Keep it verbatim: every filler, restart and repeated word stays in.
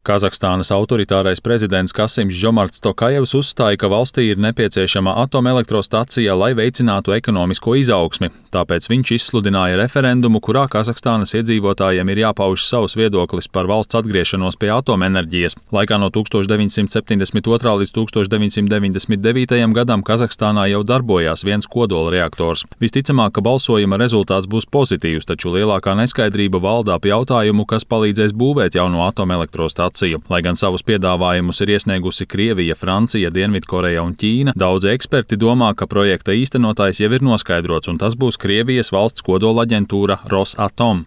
Kazahstānas autoritārais prezidents Kasims Žomarts Tokajevs uzstāja, ka valstī ir nepieciešama atomelektrostacija, lai veicinātu ekonomisko izaugsmi. Tāpēc viņš izsludināja referendumu, kurā Kazahstānas iedzīvotājiem ir jāpauž savs viedoklis par valsts atgriešanos pie atomenerģijas. Laikā no tūkstoš deviņsimt septiņdesmit otrā līdz tūkstoš deviņsimt deviņdesmit devītajam gadam Kazahstānā jau darbojās viens kodolreaktors. Visticamāk, ka balsojuma rezultāts būs pozitīvs, taču lielākā neskaidrība valda ap jautājumu, kas palīdzēs būvēt jauno atomelektrostaciju. Lai gan savus piedāvājumus ir iesniegusi Krievija, Francija, Dienvidkoreja un Ķīna, daudzi eksperti domā, ka projekta īstenotājs jau ir noskaidrots, un tas būs Krievijas valsts kodolaģentūra Rosatom.